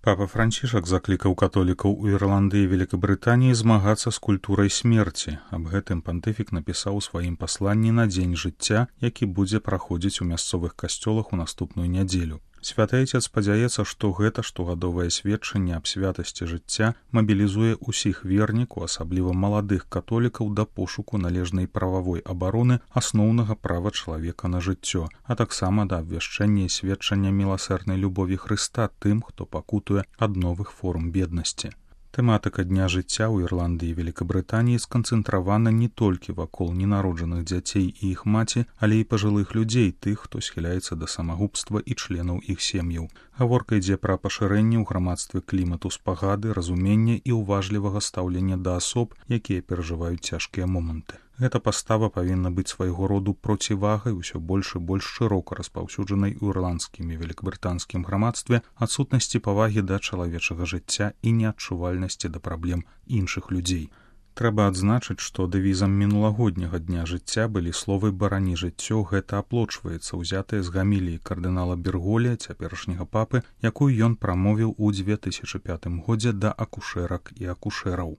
Папа Францішак заклікаў католікаў у Ірландыі і Великабрытаніі змагацца з культурай смерці. Аб гэтым пантыфік напісаў у сваім пасланні на дзень жыцця, які будзе праходзіць у мясцовых касцёлах у наступную нядзелю. Святы Айцец спадзяецца, што гэта штогадовае сведчанне аб святасці жыцця мабілізуе ўсіх вернікаў, асабліва маладых католікаў, да пошуку належнай прававой абароны асноўнага права чалавека на жыццё, а таксама да абвяшчэння і сведчання міласэрнай любові Хрыста тым, хто пакутуе ад новых форм беднасці. Тэматыка дня жыцця ў Ірландыі і Великабрытаніі сканцэнтравана не толькі вакол ненароджаных дзяцей і іх маці, але і пажылых людзей, тых, хто схіляецца да самагубства і членаў іх сем'яў. Гаворка ідзе пра пашырэнне ў грамадстве клімату спагады, разумення і ўважлівага стаўлення да асоб, якія перажываюць цяжкія моманты. Гэта пастава павінна быць свайго роду процівагай усё больш і больш шырока распаўсюджанай у ірландскім і великабрытанскім грамадстве адсутнасці павагі да чалавечага жыцця і неадчувальнасці да праблем іншых людзей. Трэба адзначыць, што дэвізам мінулагодняга дня жыцця былі словы «барані жыццё», гэта аплочваецца, узятыя з гаміліі кардынала Берголя, цяперашняга папы, якую ён прамовіў у 2005 годзе да акушэрак і акушэраў.